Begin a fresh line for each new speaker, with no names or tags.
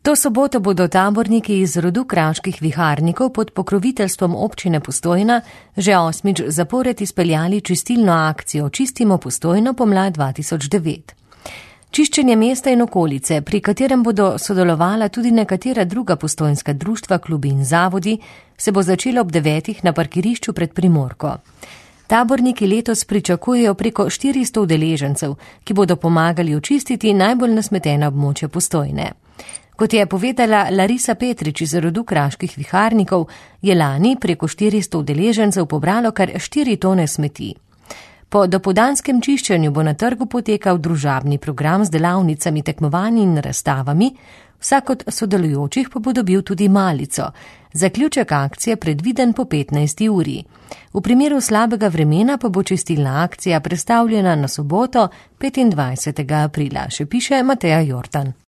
To soboto bodo taborniki iz rodu kraških viharnikov pod pokroviteljstvom občine Postojna že 8. zapored izpeljali čistilno akcijo Čistimo Postojno pomlad 2009. Čiščenje mesta in okolice, pri katerem bodo sodelovala tudi nekatera druga postojnska društva, klubi in zavodi, se bo začelo ob 9. na parkirišču pred Primorko. Taborniki letos pričakujejo preko 400 udeležencev, ki bodo pomagali očistiti najbolj nasmetena območja Postojne. Kot je povedala Larisa Petrič iz rodu kraških viharnikov, je lani preko 400 udeležencev pobralo kar 4 tone smeti. Po dopoldanskem čiščenju bo na trgu potekal družabni program z delavnicami, tekmovanji in razstavami, vsak od sodelujočih pa bo dobil tudi malico. Zaključek akcije predviden po 15. uri. V primeru slabega vremena pa bo čistilna akcija prestavljena na soboto 25. aprila, še piše Mateja Jortan.